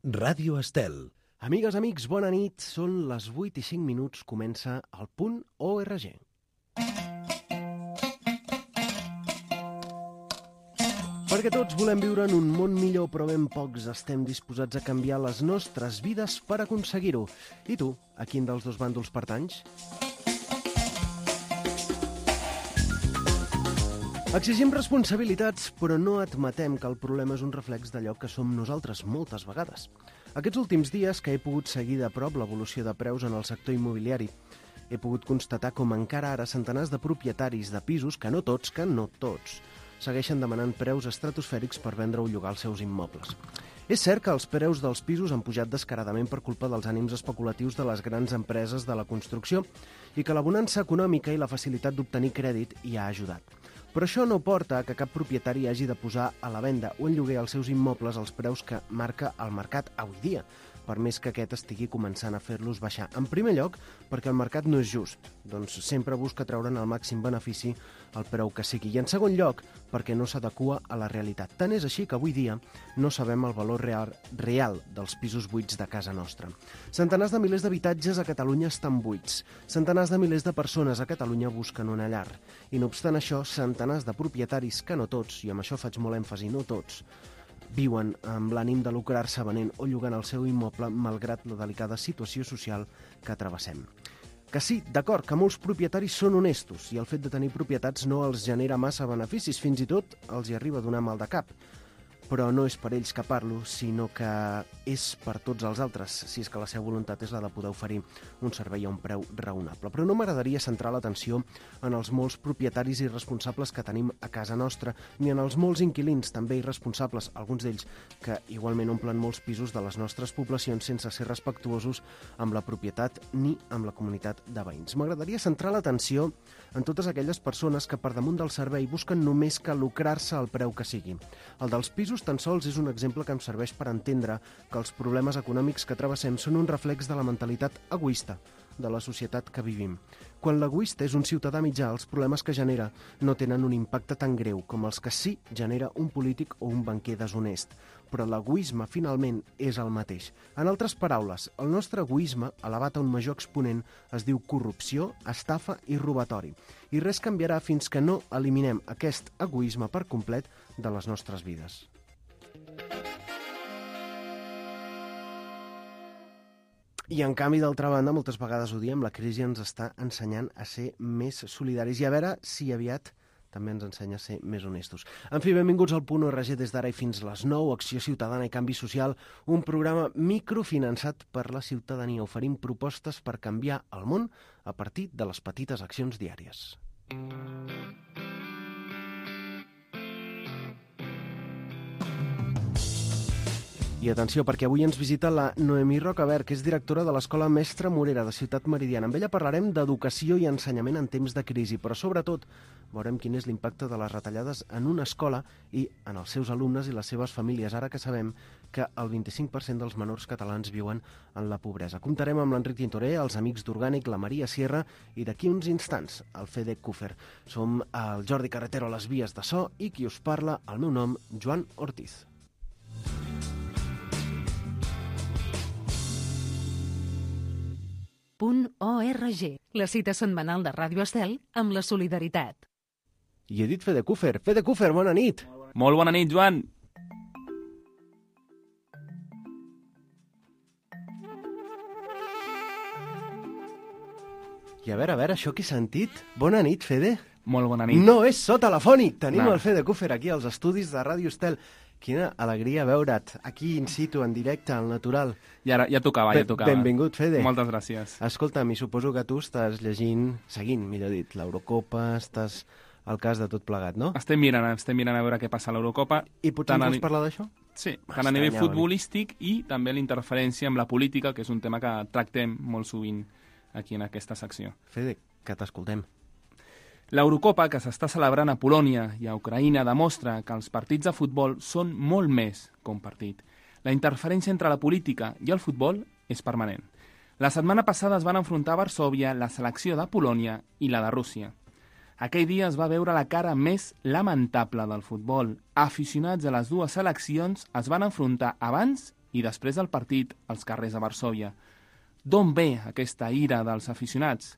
Ràdio Estel. Amigues, amics, bona nit. Són les 8:05, comença el Punt ORG. Perquè tots volem viure en un món millor, però ben pocs estem disposats a canviar les nostres vides per aconseguir-ho. I tu, a quin dels dos bàndols pertanys? Exigim responsabilitats, però no admetem que el problema és un reflex d'allò que som nosaltres moltes vegades. Aquests últims dies que he pogut seguir de prop l'evolució de preus en el sector immobiliari, he pogut constatar com encara ara centenars de propietaris de pisos, que no tots, segueixen demanant preus estratosfèrics per vendre o llogar els seus immobles. És cert que els preus dels pisos han pujat descaradament per culpa dels ànims especulatius de les grans empreses de la construcció i que la bonança econòmica i la facilitat d'obtenir crèdit hi ha ajudat. Però això no porta que cap propietari hagi de posar a la venda o en lloguer els seus immobles als preus que marca el mercat avui dia, per més que aquest estigui començant a fer-los baixar. En primer lloc, perquè el mercat no és just, doncs sempre busca treure'n el màxim benefici al preu que sigui. I en segon lloc, perquè no s'adequa a la realitat. Tant és així que avui dia no sabem el valor real dels pisos buits de casa nostra. Centenars de milers d'habitatges a Catalunya estan buits. Centenars de milers de persones a Catalunya busquen una llar. I no obstant això, centenars de propietaris, que no tots, i amb això faig molt èmfasi, no tots, viuen amb l'ànim de lucrar-se venent o llogant el seu immoble malgrat la delicada situació social que travessem. Que sí, d'acord, que molts propietaris són honestos i el fet de tenir propietats no els genera massa beneficis, fins i tot els hi arriba a donar mal de cap. Però no és per ells que parlo, sinó que és per tots els altres, si és que la seva voluntat és la de poder oferir un servei a un preu raonable. Però no m'agradaria centrar l'atenció en els molts propietaris irresponsables que tenim a casa nostra, ni en els molts inquilins també irresponsables, alguns d'ells que igualment omplen molts pisos de les nostres poblacions sense ser respectuosos amb la propietat ni amb la comunitat de veïns. M'agradaria centrar l'atenció en totes aquelles persones que per damunt del servei busquen només que lucrar-se al preu que sigui. El dels pisos tan sols és un exemple que em serveix per entendre que els problemes econòmics que travessem són un reflex de la mentalitat egoista de la societat que vivim. Quan l'egoista és un ciutadà mitjà, els problemes que genera no tenen un impacte tan greu com els que sí genera un polític o un banquer deshonest. Però l'egoisme, finalment, és el mateix. En altres paraules, el nostre egoisme, elevat a un major exponent, es diu corrupció, estafa i robatori. I res canviarà fins que no eliminem aquest egoisme per complet de les nostres vides. I en canvi, d'altra banda, moltes vegades ho diem, la crisi ens està ensenyant a ser més solidaris i a veure si aviat també ens ensenya a ser més honestos. En fi, benvinguts al Punt ORG des d'ara i fins les 9, Acció Ciutadana i Canvi Social, un programa microfinançat per la ciutadania. Oferim propostes per canviar el món a partir de les petites accions diàries. I atenció, perquè avui ens visita la Noemí Rocabert, que és directora de l'Escola Mestre Morera de Ciutat Meridiana. Amb ella parlarem d'educació i ensenyament en temps de crisi, però sobretot veurem quin és l'impacte de les retallades en una escola i en els seus alumnes i les seves famílies, ara que sabem que el 25% dels menors catalans viuen en la pobresa. Comptarem amb l'Enric Tintoré, els amics d'Orgànic, la Maria Sierra i d'aquí uns instants el Fede Cúfer. Som el Jordi Carretero a les vies de so i qui us parla, el meu nom, Joan Ortiz. Punt ORG, la cita setmanal de Ràdio Estel amb la solidaritat. I he dit Fede Cúfer. Fede Cúfer, bona nit! Molt bona nit, Joan! I a veure, això que he sentit? Bona nit, Fede. Molt bona nit. No és so telefònic! Tenim No. el Fede Cúfer aquí als estudis de Ràdio Estel. Quina alegria veure't aquí in situ, en directe, al natural. Ja tocava. Benvingut, Fede. Moltes gràcies. Escolta'm, i suposo que tu estàs seguint, millor dit, l'Eurocopa, estàs al cas de tot plegat, no? Estem mirant a veure què passa a l'Eurocopa. I potser ens vols parlar d'això? Sí, tant a nivell futbolístic i també l'interferència amb la política, que és un tema que tractem molt sovint aquí en aquesta secció. Fede, que t'escoltem. L'Eurocopa, que s'està celebrant a Polònia i a Ucraïna, demostra que els partits de futbol són molt més que un partit. La interferència entre la política i el futbol és permanent. La setmana passada es van enfrontar a Varsòvia la selecció de Polònia i la de Rússia. Aquell dia es va veure la cara més lamentable del futbol. Aficionats a les dues seleccions es van enfrontar abans i després del partit als carrers de Varsòvia. D'on ve aquesta ira dels aficionats?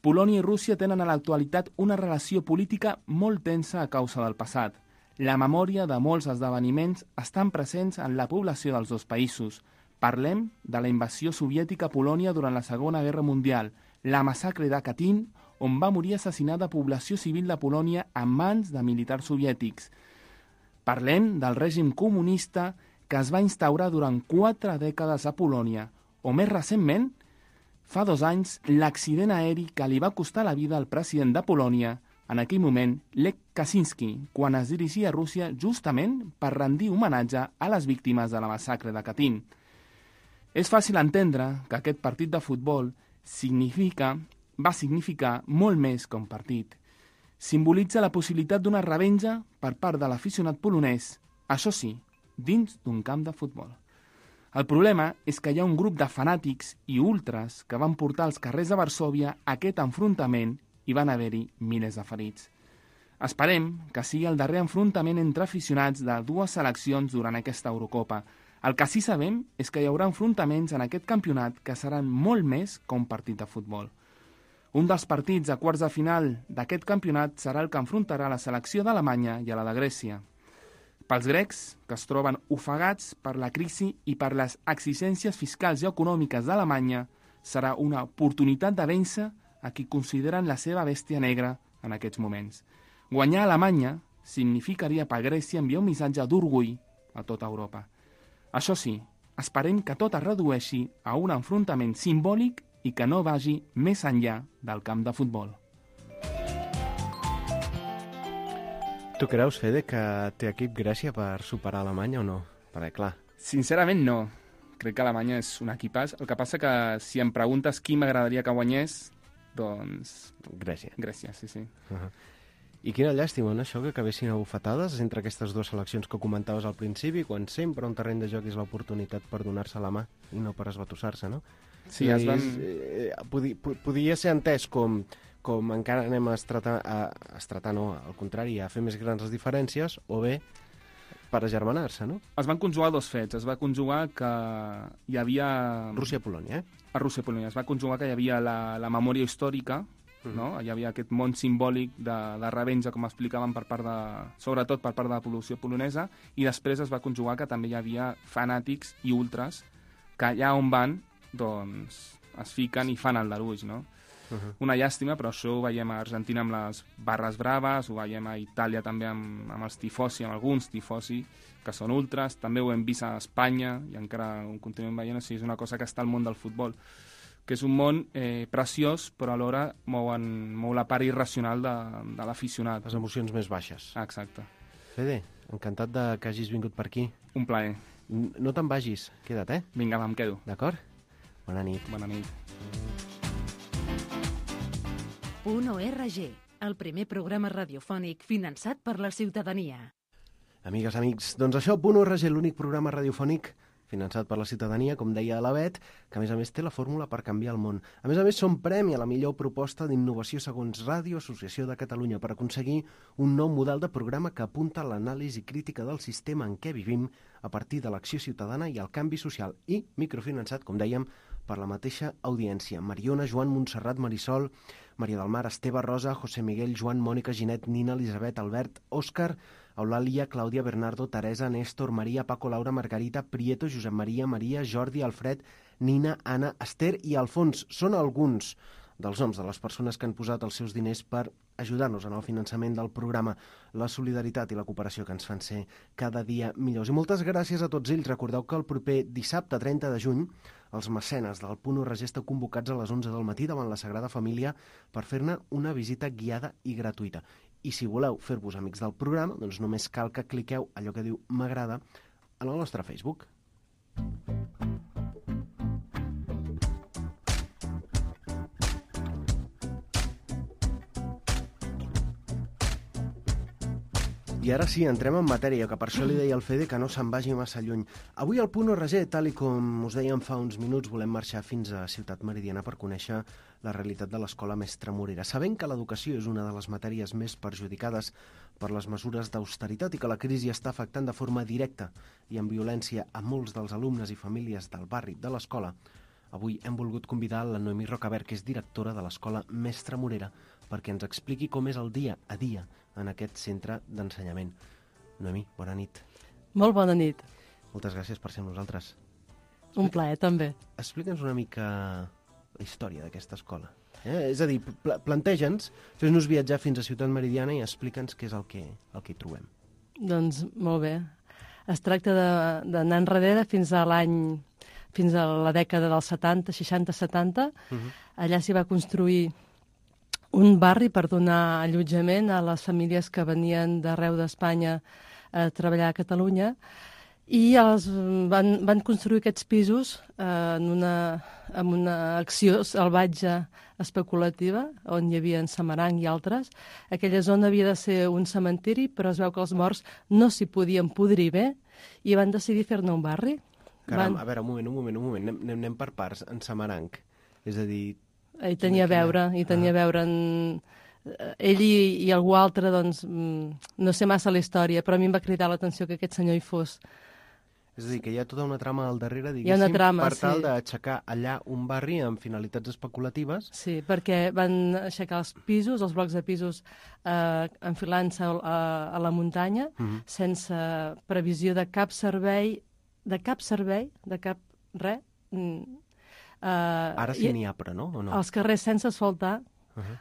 Polònia i Rússia tenen a l'actualitat una relació política molt tensa a causa del passat. La memòria de molts esdeveniments estan presents en la població dels dos països. Parlem de la invasió soviètica a Polònia durant la Segona Guerra Mundial, la massacre de Katyn, on va morir assassinada població civil de Polònia en mans de militars soviètics. Parlem del règim comunista que es va instaurar durant 4 dècades a Polònia, o més recentment, fa 2 anys, l'accident aeri que li va costar la vida al president de Polònia, en aquell moment, Lech Kaczynski, quan es dirigia a Rússia justament per rendir homenatge a les víctimes de la massacre de Katyn. És fàcil entendre que aquest partit de futbol va significar molt més que un partit. Simbolitza la possibilitat d'una revenja per part de l'aficionat polonès, això sí, dins d'un camp de futbol. El problema és que hi ha un grup de fanàtics i ultras que van portar als carrers de Varsòvia aquest enfrontament i van haver-hi milers de ferits. Esperem que sigui el darrer enfrontament entre aficionats de 2 seleccions durant aquesta Eurocopa. El que sí sabem és que hi haurà enfrontaments en aquest campionat que seran molt més que un partit de futbol. Un dels partits a quarts de final d'aquest campionat serà el que enfrontarà la selecció d'Alemanya i a la de Grècia. Pels grecs, que es troben ofegats per la crisi i per les exigències fiscals i econòmiques d'Alemanya, serà una oportunitat de vèncer a qui consideren la seva bèstia negra en aquests moments. Guanyar a Alemanya significaria per Grècia enviar un missatge d'orgull a tota Europa. Això sí, esperem que tot es redueixi a un enfrontament simbòlic i que no vagi més enllà del camp de futbol. Tu creus, Fede, que té equip Grècia per superar Alemanya o no? Perquè, clar... Sincerament, no. Crec que Alemanya és un equipàs. El que passa que si em preguntes qui m'agradaria que guanyés, doncs... Grècia. Grècia, sí, sí. I quina llàstima, no, això, que acabessin a bufetades entre aquestes 2 seleccions que comentaves al principi, quan sempre un terreny de joc és l'oportunitat per donar-se la mà i no per esbatussar-se, no? Sí, es van... Podia ser entès com encara anem a estratar, no, al contrari, a fer més grans les diferències, o bé per agermanar-se, no? Es van conjugar 2 fets. Es va conjugar que hi havia... Rússia-Polònia, A Rússia-Polònia. Es va conjugar que hi havia la memòria històrica, no? Hi havia aquest món simbòlic de revenja, com explicaven, sobretot per part de la població polonesa, i després es va conjugar que també hi havia fanàtics i ultras que allà on van, doncs, es fiquen i fan el daruix, no? Una llàstima, però això ho veiem a Argentina amb les barres braves, ho veiem a Itàlia també amb els tifosi, amb alguns tifosi que són ultras, també ho hem vist a Espanya i encara ho continuem veient, o sigui, és una cosa que està al món del futbol, que és un món preciós, però alhora mou la part irracional de l'aficionat. Les emocions més baixes. Exacte. Fede, encantat que hagis vingut per aquí. Un plaer. No te'n vagis, queda't, Vinga, va, em quedo. D'acord? Bona nit. Bona nit. .org, el primer programa radiofònic finançat per la ciutadania. Amigues, amics, doncs això, .org, l'únic programa radiofònic finançat per la ciutadania, com deia la Bet, que a més té la fórmula per canviar el món. A més som premi a la millor proposta d'innovació segons Ràdio Associació de Catalunya per aconseguir un nou model de programa que apunta a l'anàlisi crítica del sistema en què vivim a partir de l'acció ciutadana i el canvi social i microfinançat, com dèiem, per la mateixa audiència. Mariona, Joan, Montserrat, Marisol, Maria del Mar, Esteve, Rosa, José Miguel, Joan, Mònica, Ginet, Nina, Elisabet, Albert, Òscar, Eulàlia, Clàudia, Bernardo, Teresa, Néstor, Maria, Paco, Laura, Margarita, Prieto, Josep Maria, Jordi, Alfred, Nina, Anna, Esther i Alfons. Són alguns dels noms de les persones que han posat els seus diners per ajudar-nos en el finançament del programa, la solidaritat i la cooperació que ens fan ser cada dia millors. I moltes gràcies a tots ells. Recordeu que el proper dissabte 30 de juny els mecenes del .org estan convocats a les 11 del matí davant la Sagrada Família per fer-ne una visita guiada i gratuïta. I si voleu fer-vos amics del programa, doncs només cal que cliqueu allò que diu m'agrada en el nostre Facebook. I ara sí, entrem en matèria, que per això li deia al Fede que no se'n vagi massa lluny. Avui al .org, tal i com us dèiem fa uns minuts, volem marxar fins a Ciutat Meridiana per conèixer la realitat de l'Escola Mestre Morera. Sabent que l'educació és una de les matèries més perjudicades per les mesures d'austeritat i que la crisi està afectant de forma directa i amb violència a molts dels alumnes i famílies del barri de l'escola, avui hem volgut convidar la Noemí Rocabert, que és directora de l'escola Mestre Morera, perquè ens expliqui com és el dia a dia en aquest centre d'ensenyament. Noemí, bona nit. Molt bona nit. Moltes gràcies per ser amb nosaltres. Un plaer, també. Explica'ns una mica la història d'aquesta escola. És a dir, planteja'ns, fes-nos viatjar fins a Ciutat Meridiana i explica'ns què és el que hi trobem. Doncs molt bé. Es tracta d'anar enrere fins a la dècada dels 70, 60-70. Allà s'hi va construir un barri per donar allotjament a les famílies que venien d'arreu d'Espanya a treballar a Catalunya, i van construir aquests pisos amb una acció salvatge especulativa, on hi havia en Samaranc i altres. Aquella zona havia de ser un cementiri, però es veu que els morts no s'hi podien podrir bé i van decidir fer-ne un barri. Caram, a veure, un moment. Anem per parts. En Samaranc, és a dir... Hi tenia a veure ell i algú altre, doncs, no sé massa la història, però a mi em va cridar l'atenció que aquest senyor hi fos. És a dir, que hi ha tota una trama al darrere, diguéssim, hi ha una trama, per tal d'aixecar allà un barri amb finalitats especulatives. Sí, perquè van aixecar els pisos, els blocs de pisos, enfilant-se a la muntanya, sense previsió de cap servei, de cap res. Ara sí n'hi ha, però no? O no? Els carrers sense asfaltar.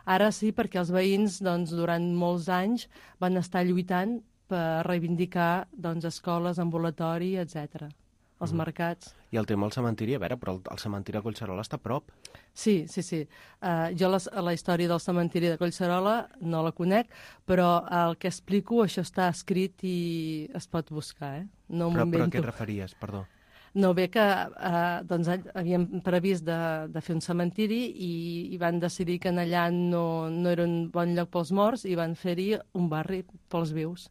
Ara sí, perquè els veïns, doncs, durant molts anys van estar lluitant per reivindicar, doncs, escoles, ambulatori, etc. Els mercats. I el tema del cementiri, a veure, però el cementiri de Collserola està a prop. Sí. Jo la història del cementiri de Collserola no la conec, però el que explico, això està escrit i es pot buscar, No però a què et referies, perdó? No, bé que doncs, havíem previst de fer un cementiri i van decidir que allà no era un bon lloc pels morts i van fer-hi un barri pels vius.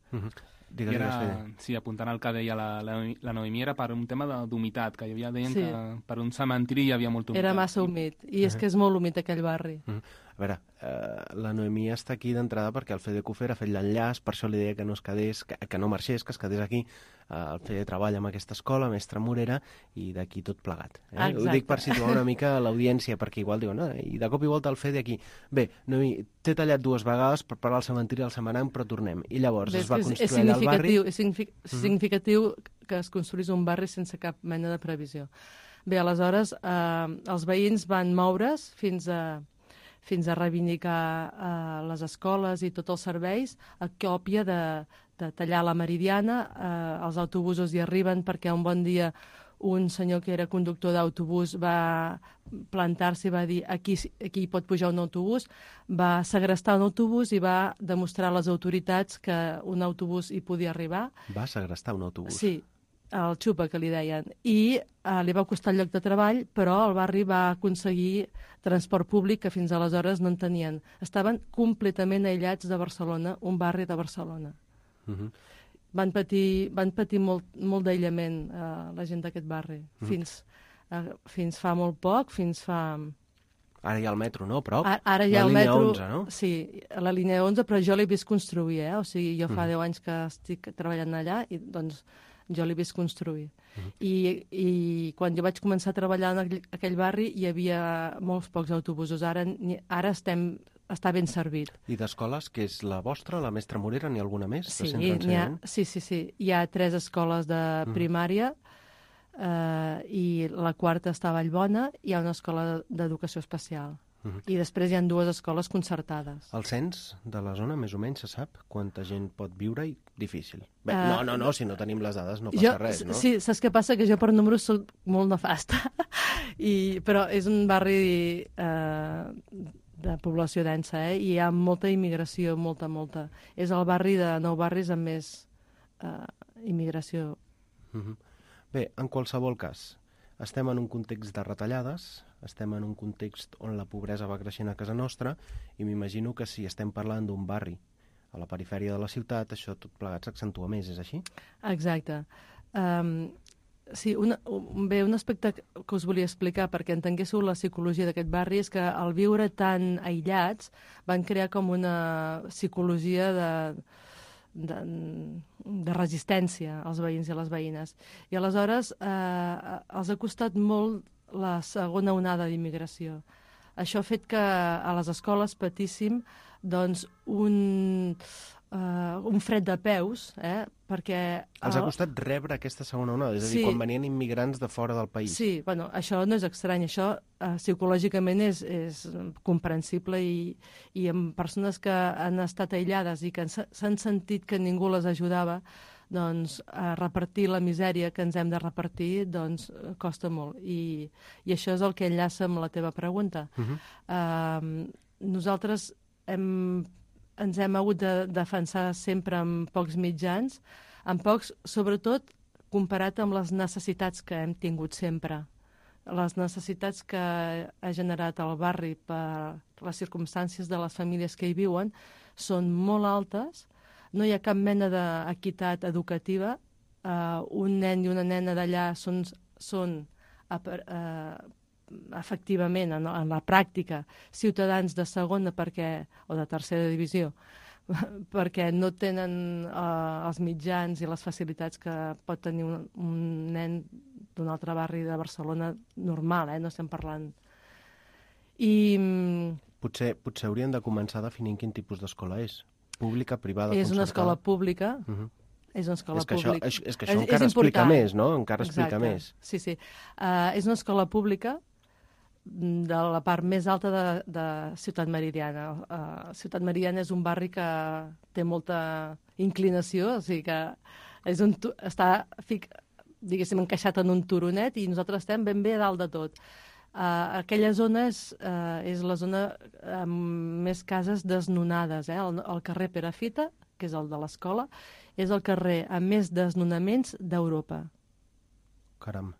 Sí, apuntant al que deia la Noemí, era per un tema d'humitat, que deien que per un cementiri hi havia molta humitat. Era massa humit, i és que és molt humit aquell barri. A veure, la Noemí està aquí d'entrada perquè el Fede Cufer ha fet l'enllaç, per això li deia que no es quedés, que no marxés, que es quedés aquí. El Fede treballa amb aquesta escola, Mestre Morera, i d'aquí tot plegat. Ho dic per situar una mica l'audiència, perquè igual diuen, i de cop i volta el Fede aquí. Bé, Noemí, t'he tallat 2 vegades per parlar del cementiri del Samaranc, però tornem. I llavors es va construir allà el barri... És significatiu que es construís un barri sense cap mena de previsió. Bé, aleshores, els veïns van moure's fins a reivindicar les escoles i tots els serveis, a còpia de tallar la Meridiana. Els autobusos hi arriben perquè un bon dia un senyor que era conductor d'autobús va plantar-se i va dir aquí hi pot pujar un autobús, va segrestar un autobús i va demostrar a les autoritats que un autobús hi podia arribar. Va segrestar un autobús? Sí, el xupa, que li deien, i li va costar el lloc de treball, però el barri va aconseguir transport públic que fins aleshores no en tenien. Estaven completament aïllats de Barcelona, un barri de Barcelona. Van patir molt d'aïllament la gent d'aquest barri, fins fa molt poc, fins fa... Ara hi ha el metro, no? Prop? Ara hi ha el metro, la línia 11, no? Sí, la línia 11, però jo l'he vist construir, O sigui, jo fa 10 anys que estic treballant allà i, doncs, jo l'he vist construir. I quan jo vaig començar a treballar en aquell barri hi havia molts pocs autobusos. Ara està ben servit. I d'escoles, que és la vostra, la Mestre Morera, n'hi ha alguna més? Sí, sí. Hi ha 3 escoles de primària i la quarta està a Vallbona, hi ha una escola d'educació especial. I després hi ha 2 escoles concertades. El cens de la zona, més o menys, se sap quanta gent pot viure-hi? Difícil. Bé, no, si no tenim les dades no passa res, no? Sí, saps què passa? Que jo per números soc molt nefasta, però és un barri de població densa, i hi ha molta immigració, molta. És el barri de 9 barris amb més immigració. Bé, en qualsevol cas, estem en un context de retallades, estem en un context on la pobresa va creixent a casa nostra, i m'imagino que si estem parlant d'un barri a la perifèria de la ciutat, això tot plegat s'accentua més, és així? Exacte. Sí, un aspecte que us volia explicar perquè entenguéssiu la psicologia d'aquest barri és que al viure tan aïllats van crear com una psicologia de resistència als veïns i a les veïnes. I aleshores els ha costat molt la segona onada d'immigració. Això ha fet que a les escoles patíssim doncs, un fred de peus, perquè... Els ha costat rebre aquesta segona onada, és a dir, quan venien immigrants de fora del país. Sí, bueno, això no és estrany, això psicològicament és comprensible i amb persones que han estat aïllades i que s'han sentit que ningú les ajudava, doncs repartir la misèria que ens hem de repartir doncs costa molt. I això és el que enllaça amb la teva pregunta. Nosaltres ens hem hagut de defensar sempre amb pocs mitjans, amb pocs, sobretot comparat amb les necessitats que hem tingut sempre. Les necessitats que ha generat el barri per les circumstàncies de les famílies que hi viuen són molt altes, no hi ha cap mena d'equitat educativa, un nen i una nena d'allà són efectivament, en la pràctica, ciutadans de segona o de tercera divisió, perquè no tenen els mitjans i les facilitats que pot tenir un nen d'un altre barri de Barcelona normal, no estem parlant. Potser hauríem de començar definint quin tipus d'escola és. Pública, privada, és concertada? Una escola pública. És una escola pública. És que això encara explica més, no? Encara explica més. Sí. És una escola pública de la part més alta de Ciutat Meridiana. Ciutat Meridiana és un barri que té molta inclinació, o sigui que està, diguéssim, encaixat en un turonet i nosaltres estem ben bé a dalt de tot. Aquella zona és la zona amb més cases desnonades. El carrer Perafita, que és el de l'escola, és el carrer amb més desnonaments d'Europa. Caram.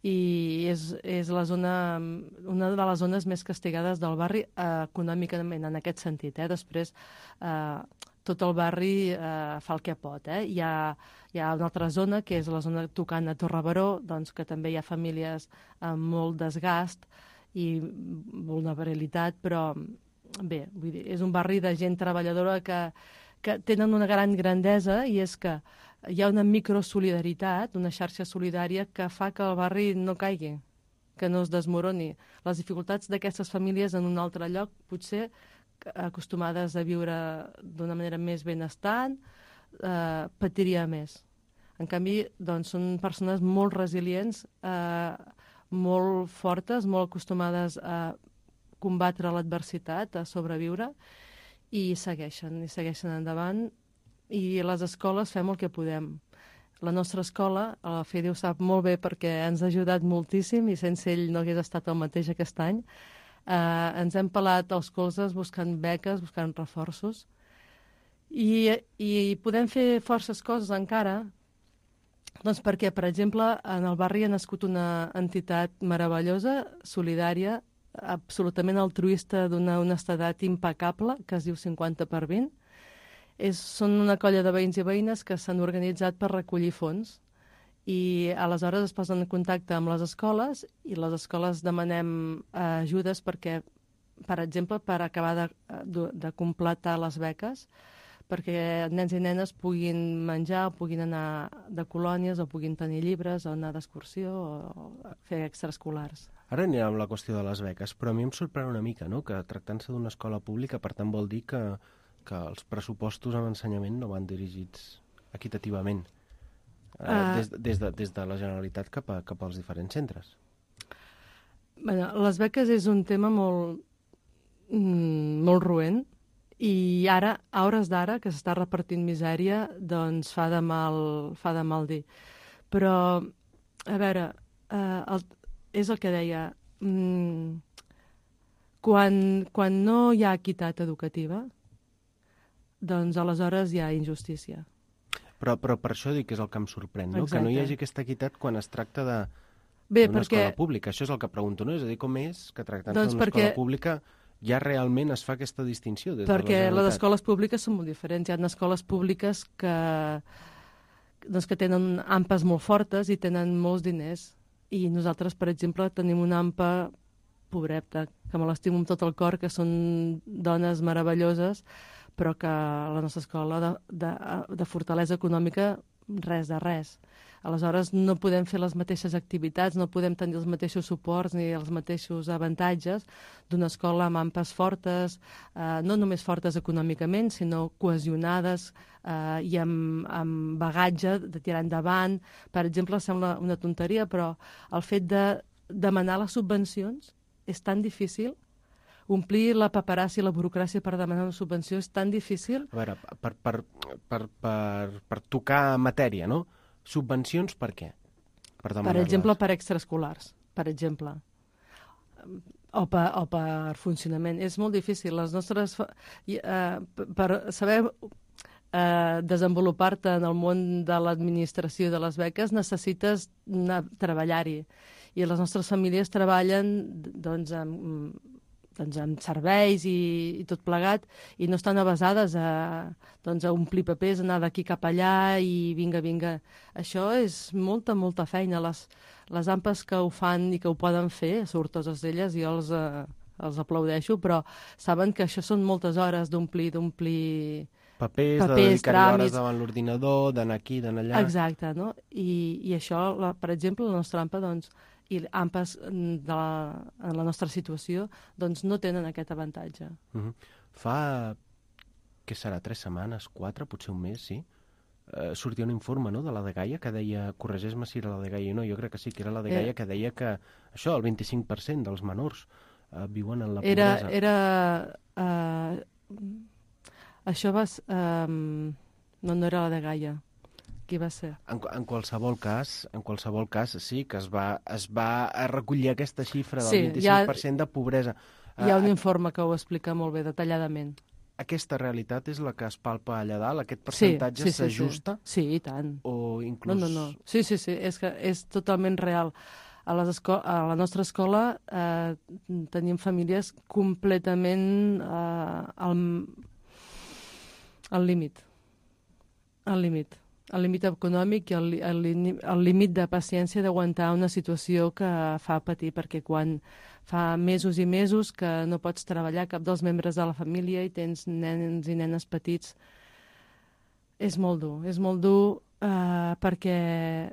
I és la zona, una de les zones més castigades del barri econòmicament, en aquest sentit. Després, tot el barri fa el que pot. Hi ha una altra zona, que és la zona tocant a Torre-Baró, doncs, que també hi ha famílies amb molt desgast i vulnerabilitat, però bé, vull dir, és un barri de gent treballadora que tenen una gran grandesa, i és que hi ha una microsolidaritat, una xarxa solidària que fa que el barri no caigui, que no es desmoroni. Les dificultats d'aquestes famílies en un altre lloc, potser acostumades a viure d'una manera més benestant, patiria més. En canvi, doncs, són persones molt resilients, molt fortes, molt acostumades a combatre l'adversitat, a sobreviure, i segueixen endavant. I les escoles fem el que podem. La nostra escola, el FEDI ho sap molt bé perquè ens ha ajudat moltíssim i sense ell no hagués estat el mateix aquest any. Ens hem pelat els colzes buscant beques, buscant reforços. I podem fer forces coses encara, doncs perquè, per exemple, en el barri ha nascut una entitat meravellosa, solidària, absolutament altruista, d'una honestedat impecable, que es diu 50x20. Són una colla de veïns i veïnes que s'han organitzat per recollir fons i aleshores es posen en contacte amb les escoles i les escoles demanem ajudes perquè, per exemple, per acabar de completar les beques, perquè nens i nenes puguin menjar, o puguin anar de colònies, o puguin tenir llibres, o anar d'excursió, o fer extraescolars. Ara anirem amb la qüestió de les beques, però a mi em sorprèn una mica, no?, que tractant-se d'una escola pública, per tant vol dir que els pressupostos en ensenyament no van dirigits equitativament des de la Generalitat cap als diferents centres. Les beques és un tema molt roent i ara, a hores d'ara, que s'està repartint misèria, doncs fa de mal dir. Però, a veure, és el que deia, quan no hi ha equitat educativa, doncs aleshores hi ha injustícia. Però per això dic que és el que em sorprèn, no? Que no hi hagi aquesta equitat quan es tracta d'una escola pública. Això és el que pregunto, no? És a dir, com és que tractant-se d'una escola pública ja realment es fa aquesta distinció des de la Generalitat? Perquè les escoles públiques són molt diferents. Hi ha escoles públiques que tenen AMPAs molt fortes i tenen molts diners. I nosaltres, per exemple, tenim una AMPA pobreta, que me l'estimo amb tot el cor, que són dones meravelloses, però que la nostra escola de fortalesa econòmica res de res. Aleshores, no podem fer les mateixes activitats, no podem tenir els mateixos suports ni els mateixos avantatges d'una escola amb ampes fortes, no només fortes econòmicament, sinó cohesionades i amb bagatge de tirar endavant. Per exemple, sembla una tonteria, però el fet de demanar les subvencions és tan difícil. Omplir la paperassa i la burocràcia per demanar una subvenció és tan difícil. A veure, per tocar matèria, no? Subvencions per què? Per exemple, per extraescolars, per exemple. O per funcionament. És molt difícil. Les nostres... per saber desenvolupar-te en el món de l'administració de les beques necessites treballar-hi. I les nostres famílies treballen amb serveis i tot plegat, i no estan avasades a omplir papers, anar d'aquí cap allà i vinga. Això és molta feina. Les AMPAs que ho fan i que ho poden fer, sortoses d'elles, jo els aplaudeixo, però saben que això són moltes hores d'omplir papers, de dedicar-hi hores davant l'ordinador, d'anar aquí, d'anar allà... Exacte, no? I això, per exemple, la nostra AMPA, i AMPAs en la nostra situació, no tenen aquest avantatge. Fa, què serà, 3 setmanes, 4, potser un mes, sí? Sortia un informe, no?, de la Dgaia que deia, corregeix-me si era la Dgaia o no, jo crec que sí que era la Dgaia, que deia que això, el 25% dels menors viuen en la pobresa. Això va... no era la Dgaia. Qui va ser? En qualsevol cas, sí, que es va recollir aquesta xifra del 25% de pobresa. Hi ha un informe que ho explica molt bé, detalladament. Aquesta realitat és la que es palpa allà dalt? Aquest percentatge s'ajusta? Sí, i tant. O inclús... No. Sí, és totalment real. A la nostra escola tenim famílies completament al límit. El límit econòmic i el límit de paciència d'aguantar una situació que fa patir, perquè quan fa mesos i mesos que no pots treballar cap dels membres de la família i tens nens i nenes petits, és molt dur perquè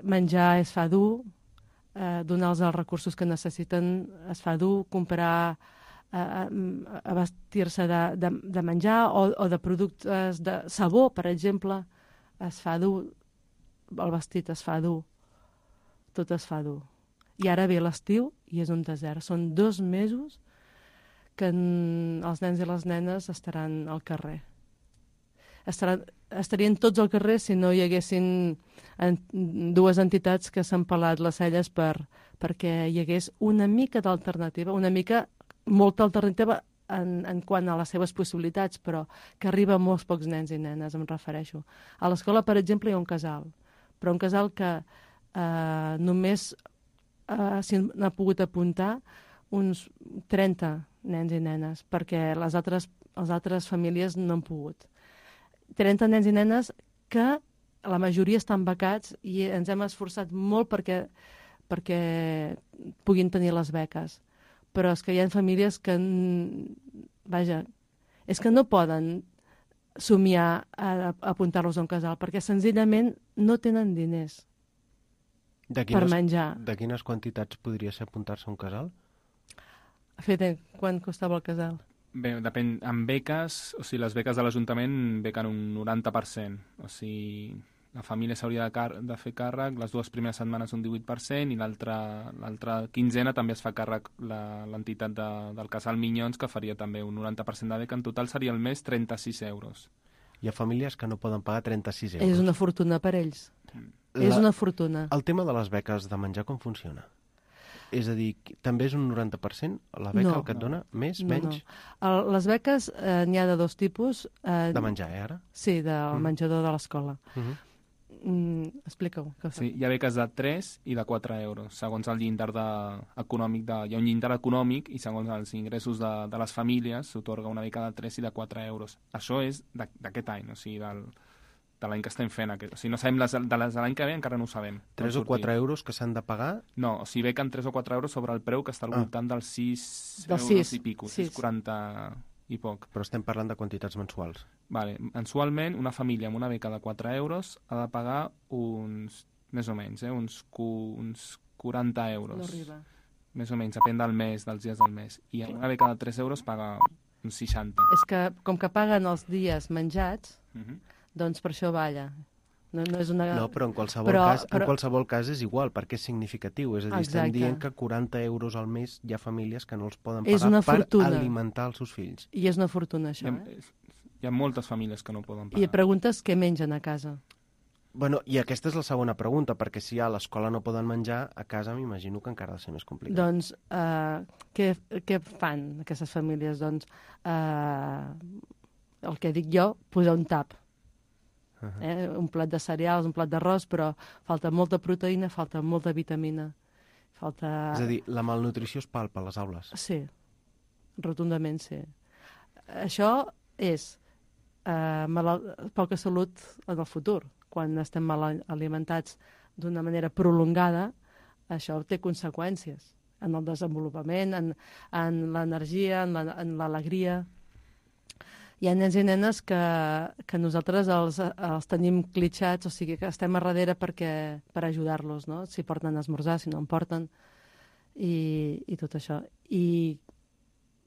menjar es fa dur, donar-los els recursos que necessiten es fa dur, comprar a vestir-se de menjar o de productes de sabó, per exemple, es fa dur, el vestit es fa dur, tot es fa dur. I ara ve l'estiu i és un desert. Són 2 mesos que els nens i les nenes estaran al carrer. Estarien tots al carrer si no hi haguessin 2 entitats que s'han pelat les celles perquè hi hagués una mica d'alternativa, molta alternativa en quant a les seves possibilitats, però que arriba a molts pocs nens i nenes, em refereixo. A l'escola, per exemple, hi ha un casal, però un casal que només s'hi han pogut apuntar uns 30 nens i nenes, perquè les altres famílies no han pogut. 30 nens i nenes que la majoria estan becats i ens hem esforçat molt perquè puguin tenir les beques. Però és que hi ha famílies que, és que no poden somiar a apuntar-los a un casal, perquè senzillament no tenen diners per menjar. De quines quantitats podria ser apuntar-se a un casal? Fede, quant costava el casal? Bé, depèn. Amb beques, o sigui, les beques de l'Ajuntament bequen un 90%. O sigui, la família s'hauria de fer càrrec les 2 primeres setmanes un 18% i l'altra quinzena també es fa càrrec l'entitat del casal Minyons, que faria també un 90% de beca. En total seria al mes 36 euros. Hi ha famílies que no poden pagar 36 euros. És una fortuna per ells. És una fortuna. El tema de les beques de menjar com funciona? És a dir, també és un 90% la beca el que et dona? Més, menys? No. Les beques n'hi ha de 2 tipus. De menjar, ara? Sí, del menjador de l'escola. Explica-ho. Sí, hi ha beques de 3 i de 4 euros, segons el llindar econòmic. Hi ha un llindar econòmic i segons els ingressos de les famílies s'atorga una beca de 3 i de 4 euros. Això és d'aquest any, o sigui, de l'any que estem fent. O sigui, no sabem les de l'any que ve, encara no ho sabem. 3 o 4 euros que s'han de pagar? No, o sigui, bequen 3 o 4 euros sobre el preu que està al voltant dels 6 euros i pico, 6,40... i poc. Però estem parlant de quantitats mensuals. Vale. Mensualment, una família amb una beca de 4 euros ha de pagar més o menys, uns 40 euros. No arriba. Més o menys, depèn del mes, dels dies del mes. I amb una beca de 3 euros paga uns 60. És que, com que paguen els dies menjats, Mhm. doncs per això balla. No és una... No, però en qualsevol cas és igual, perquè és significatiu. És a dir, estem dient que 40 euros al mes hi ha famílies que no els poden pagar per alimentar els seus fills. I és una fortuna, això, Hi ha moltes famílies que no poden pagar. I preguntes què mengen a casa. Bueno, i aquesta és la segona pregunta, perquè si a l'escola no poden menjar, a casa m'imagino que encara ha de ser més complicat. Doncs, què fan aquestes famílies? Doncs, el que dic jo, posar un tap. Un plat de cereals, un plat d'arròs, però falta molta proteïna, falta molta vitamina. És a dir, la malnutrició es palpa a les aules. Sí, rotundament sí. Això és poca salut en el futur. Quan estem mal alimentats d'una manera prolongada, això té conseqüències en el desenvolupament, en l'energia, en l'alegria. Hi ha nens i nenes que nosaltres els tenim clitxats, o sigui que estem a darrere per ajudar-los, no? Si porten a esmorzar, si no en porten, i tot això. I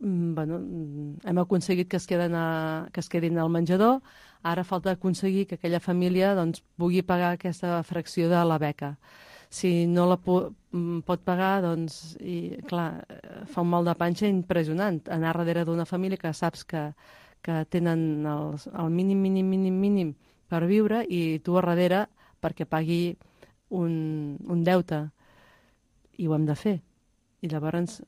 bueno, hem aconseguit que es quedin al menjador, ara falta aconseguir que aquella família doncs, pugui pagar aquesta fracció de la beca. Si no la pot pagar, doncs, i, clar, fa un mal de panxa impressionant. Anar darrere d'una família que saps que tenen el mínim per viure i tu a darrere perquè pagui un deute. I ho hem de fer. I llavors,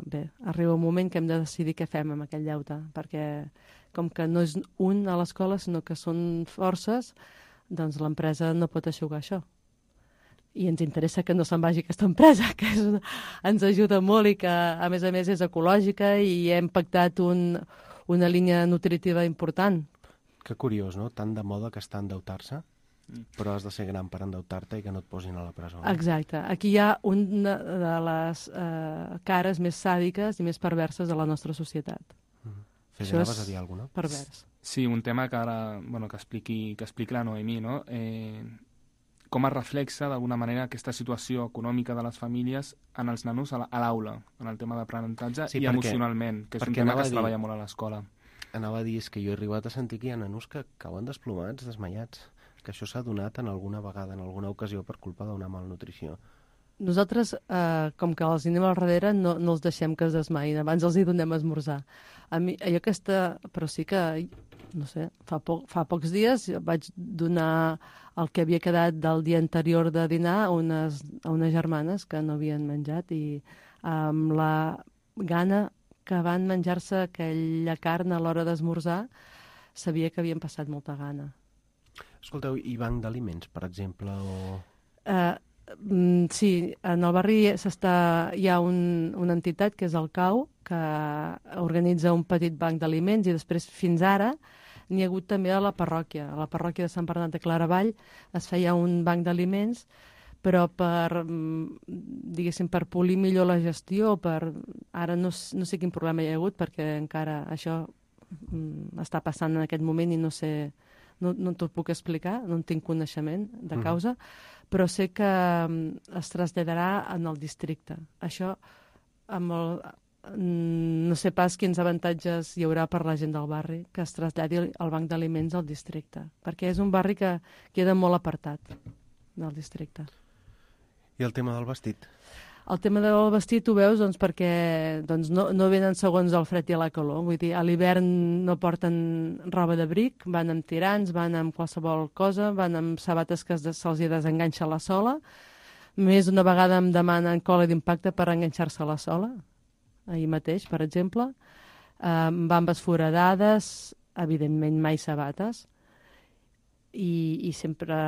bé, arriba un moment que hem de decidir què fem amb aquell deute, perquè com que no és un a l'escola, sinó que són forces, doncs l'empresa no pot aixugar això. I ens interessa que no se'n vagi aquesta empresa, que ens ajuda molt i que, a més és ecològica i hem pactat una línia nutritiva important. Que curiós, no? Tant de moda que està endeutar-se, però has de ser gran per endeutar-te i que no et posin a la presó. Exacte. Aquí hi ha una de les cares més sàdiques i més perverses de la nostra societat. Fes, anaves a dir alguna cosa? Pervers. Sí, un tema que ara, bueno, que expliqui la Noemí, no? Com es reflexa d'alguna manera aquesta situació econòmica de les famílies en els nanos a l'aula, en el tema d'aprenentatge i emocionalment, que és un tema que es treballa molt a l'escola. Anava a dir, és que jo he arribat a sentir que hi ha nanos que cauen desplomats, desmaiats, que això s'ha donat en alguna vegada, en alguna ocasió, per culpa d'una malnutrició. Nosaltres, com que els anem al darrere, no els deixem que es desmaïn, abans els hi donem a esmorzar. Però sí que, no sé, fa pocs dies vaig donar el que havia quedat del dia anterior de dinar a unes germanes que no havien menjat i amb la gana que van menjar-se aquella carn a l'hora d'esmorzar, sabia que havien passat molta gana. Escolteu, i banc d'aliments, per exemple, o... Sí, en el barri hi ha una entitat que és el CAU, que organitza un petit banc d'aliments i després, fins ara, n'hi ha hagut també a la parròquia. A la parròquia de Sant Bernat de Claravall es feia un banc d'aliments, però diguéssim, per polir millor la gestió, ara no sé quin problema hi ha hagut, perquè encara això està passant en aquest moment i no sé... No t'ho puc explicar, no en tinc coneixement de causa, però sé que es traslladarà en el districte. Això, no sé pas quins avantatges hi haurà per la gent del barri que es traslladi el banc d'aliments al districte, perquè és un barri que queda molt apartat del districte. I el tema del vestit? El tema del vestit ho veus perquè no venen segons el fred i la calor. Vull dir, a l'hivern no porten roba d'abric, van amb tirants, van amb qualsevol cosa, van amb sabates que se'ls hi desenganxa la sola. Més d'una vegada em demanen cola d'impacte per enganxar-se a la sola, ahir mateix, per exemple. Bambes foradades, evidentment mai sabates, i sempre...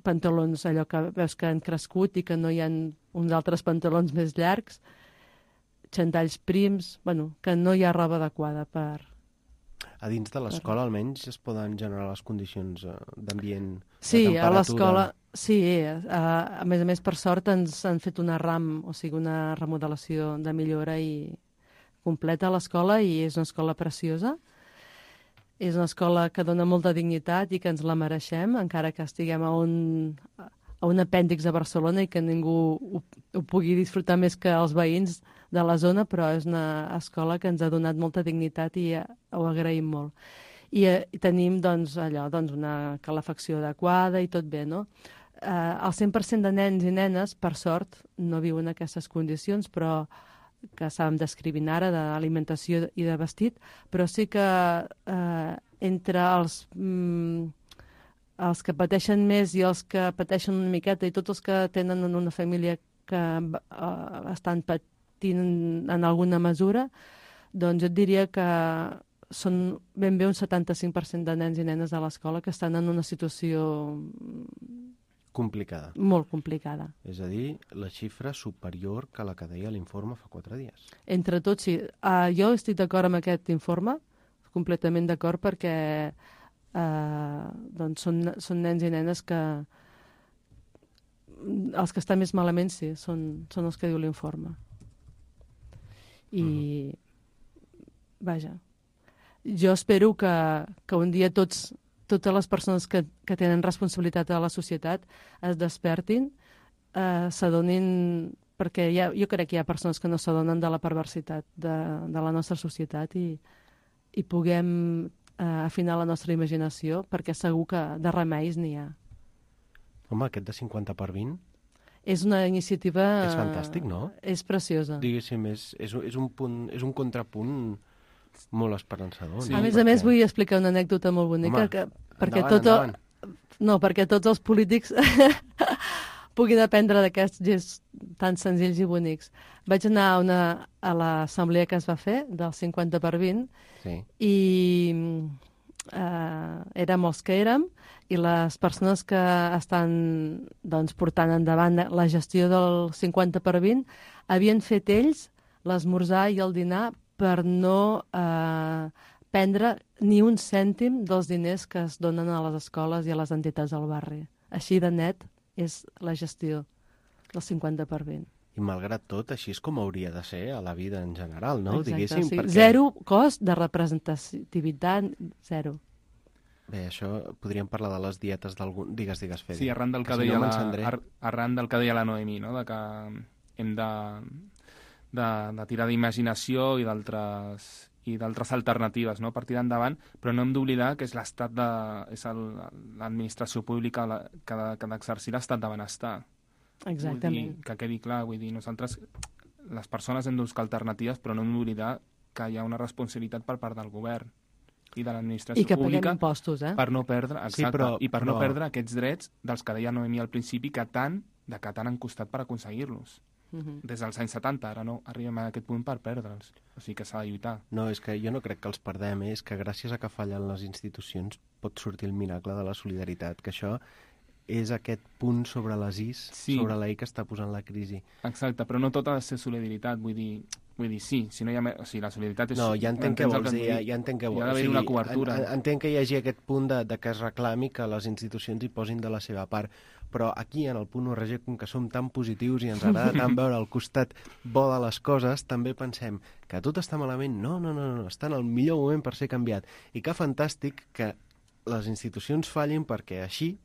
pantalons, allò que veus que han crescut i que no hi ha uns altres pantalons més llargs, xandalls prims, que no hi ha roba adequada per... A dins de l'escola almenys es poden generar les condicions d'ambient, sí, de temperatura... a l'escola, sí, a més per sort ens han fet una RAM, o sigui, una remodelació de millora i completa a l'escola i és una escola preciosa. És una escola que dona molta dignitat i que ens la mereixem, encara que estiguem a un apèndix de Barcelona i que ningú ho pugui disfrutar més que els veïns de la zona, però és una escola que ens ha donat molta dignitat i ho agraïm molt. I tenim una calefacció adequada i tot bé, no? El 100% de nens i nenes, per sort, no viuen en aquestes condicions, però que estàvem descrivint ara, d'alimentació i de vestit, però sí que entre els que pateixen més i els que pateixen una miqueta i tots els que tenen una família que estan patint en alguna mesura, doncs jo et diria que són ben bé un 75% de nens i nenes de l'escola que estan en una situació complicada. Molt complicada. És a dir, la xifra superior que la que deia l'informe fa 4 dies. Entre tots, sí. Jo estic d'acord amb aquest informe, completament d'acord, perquè són nens i nenes que els que estan més malament, sí, són els que diu l'informe. I vaja, jo espero que un dia totes les persones que tenen responsabilitat a la societat es despertin, s'adonin, perquè jo crec que hi ha persones que no s'adonen de la perversitat de la nostra societat i puguem afinar la nostra imaginació, perquè segur que de remeis n'hi ha. Home, aquest de 50 per 20... És una iniciativa... És fantàstic, no? És preciosa. Diguéssim, és un contrapunt molt esperançador. Sí, a més, vull explicar una anècdota molt bonica. Endavant. No, perquè tots els polítics puguin aprendre d'aquests gestos tan senzills i bonics. Vaig anar a l'assemblea que es va fer, del 50 per 20, sí. I érem els que érem, i les persones que estan portant endavant la gestió del 50 per 20 havien fet ells l'esmorzar i el dinar per no prendre ni un cèntim dels diners que es donen a les escoles i a les entitats del barri. Així de net és la gestió del 50 per 20. I malgrat tot, així és com hauria de ser a la vida en general, no? Exacte, diguéssim. Sí. Perquè... Zero cost de representativitat, zero. Bé, això podríem parlar de les dietes d'algun... Digues, Fede. Sí, arran del que deia la Noemí, no? De que hem de tirar d'imaginació i d'altres alternatives, no? Per tirar endavant, però no hem d'oblidar que és l'administració pública que ha d'exercir l'estat de benestar. Exactament. Que quedi clar, vull dir, nosaltres, les persones hem de buscar alternatives, però no hem d'oblidar que hi ha una responsabilitat per part del govern i de l'administració pública. I que paguem impostos, per no perdre, exacte, sí, però... no perdre aquests drets dels que deia Noemí al principi que tant han costat per aconseguir-los. Des dels anys 70, ara no arribem a aquest punt per perdre'ls. O sigui que s'ha de lluitar. No, és que jo no crec que els perdem, és que gràcies a que fallen les institucions pot sortir el miracle de la solidaritat, que això és aquest punt sobre les is, sí. Sobre la i que està posant la crisi. Exacte, però no tot ha de ser solidaritat, vull dir, sí, si no hi ha... O sigui, la solidaritat és... No, ja entenc què vols dir, ja entenc què vols dir. Hi ha d'haver una cobertura. Entenc que hi hagi aquest punt de que es reclami que les institucions hi posin de la seva part, però aquí, en el punt URG, com que som tan positius i ens agrada tant veure el costat bo de les coses, també pensem que tot està malament. No, està en el millor moment per ser canviat. I que fantàstic que les institucions fallin perquè així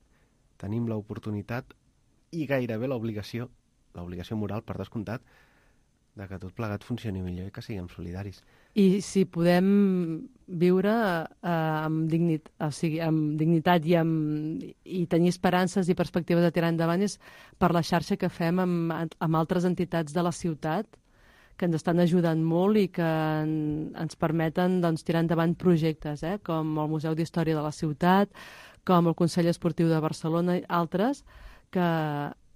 tenim l'oportunitat i gairebé l'obligació moral, per descomptat, de que tot plegat funcioni millor i que siguem solidaris. I si podem viure amb dignitat i tenir esperances i perspectives de tirar endavant és per la xarxa que fem amb altres entitats de la ciutat que ens estan ajudant molt i que ens permeten tirar endavant projectes, com el Museu d'Història de la Ciutat, com el Consell Esportiu de Barcelona i altres, que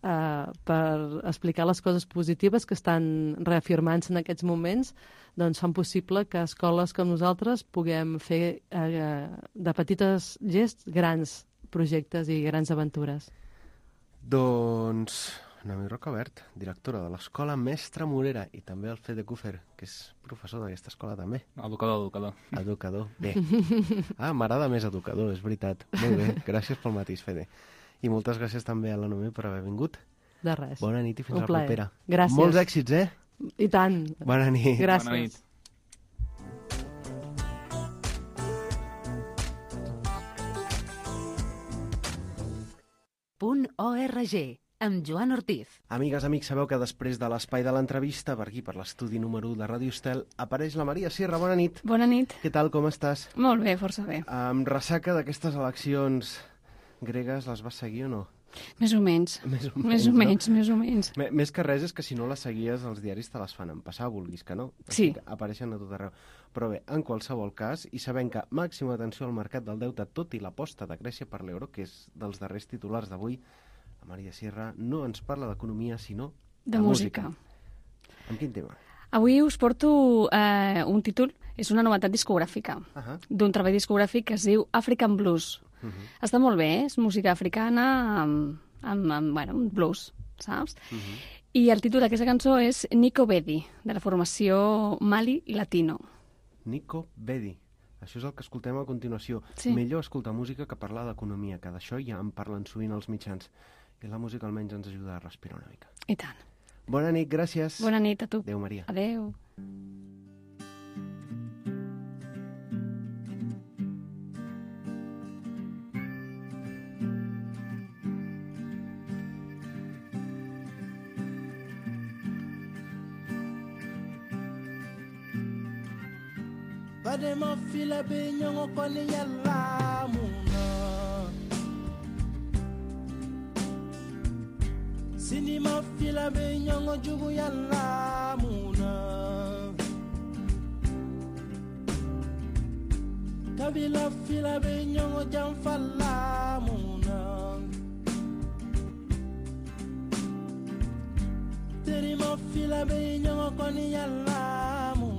per explicar les coses positives que estan reafirmant-se en aquests moments, fan possible que escoles com nosaltres puguem fer de petites gests grans projectes i grans aventures. Doncs Noemí Rocabert, directora de l'Escola Mestre Morera, i també el Fede Kufer, que és professor d'aquesta escola també. Educador. Bé. M'agrada més educador, és veritat. Molt bé, gràcies pel matís, Fede. I moltes gràcies també a la Noemí per haver vingut. De res. Bona nit i fins a la propera. Gràcies. Molts èxits, I tant. Bona nit. Gràcies. Bona nit. .org, amb Joan Ortiz. Amigues, amics, sabeu que després de l'espai de l'entrevista, per aquí, per l'estudi número 1 de Ràdio Estel, apareix la Maria Sierra. Bona nit. Bona nit. Què tal, com estàs? Molt bé, força bé. Amb ressaca d'aquestes eleccions gregues, les vas seguir o no? Més o menys. Més o menys. Més que res és que si no les seguies, els diaris te les fan empassar, vulguis que no. Sí. Apareixen a tot arreu. Però bé, en qualsevol cas, i sabent que màxima atenció al mercat del deute, tot i l'aposta de Grècia per l'euro, que és dels darrers titulars d'avui, la Maria Sierra no ens parla d'economia, sinó de música. Amb quin tema? Avui us porto un títol, és una novetat discogràfica, d'un treball discogràfic que es diu African Blues. Està molt bé, és música africana amb blues, saps? I el títol d'aquesta cançó és Nico Bedi, de la formació Mali Latino. Nico Bedi. Això és el que escoltem a continuació. Sí. Millor escoltar música que parlar d'economia, que d'això ja en parlen sovint els mitjans. I la música almenys ens ajuda a respirar una mica. I tant. Bona nit, gràcies. Bona nit a tu. Adéu, Maria. Adéu. Badema fila be nyongo koni yalla muna Sinima fila be nyongo jugu yalla muna Kabila fila be nyongo jamfalla muna Terima fila be nyongo koni yalla muna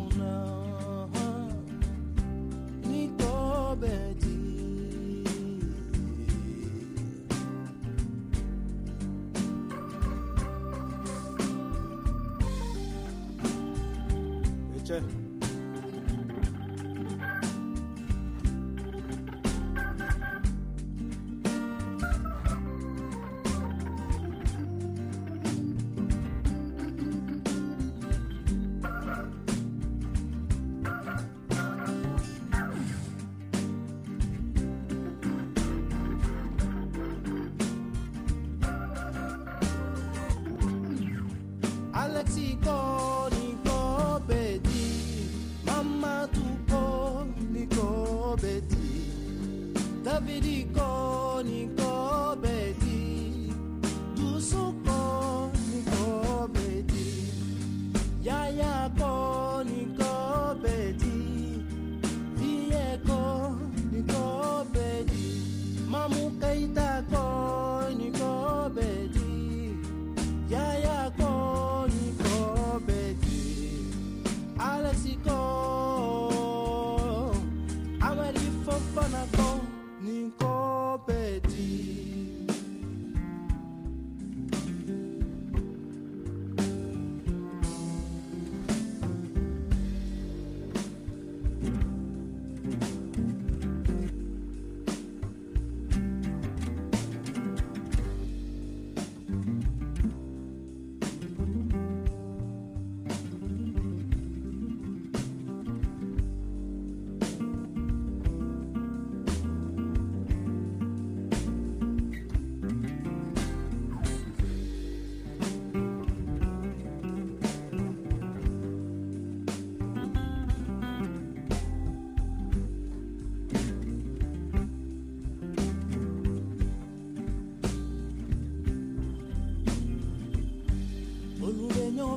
Alexico, Nico Bedi, Mama Tuco, Nico Bedi, Davidico, Nico Bedi, Dusuco, Nico Bedi, Yayako, Nico Bedi, Vieko, Nico Bedi, Mamu Keitako, Nico Bedi, Yayako, Alexico, Amari Fofanako, Nico Bedi.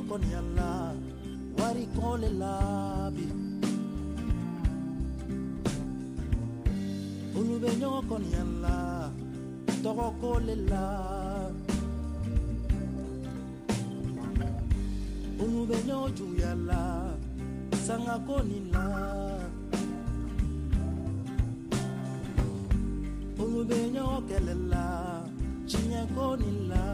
Con yalla, wari con le labi. Ulubenyo con yalla, togo con le la. Ulubenyo ju yalla, sanga con la. Ulubenyo kelela, chinya con la.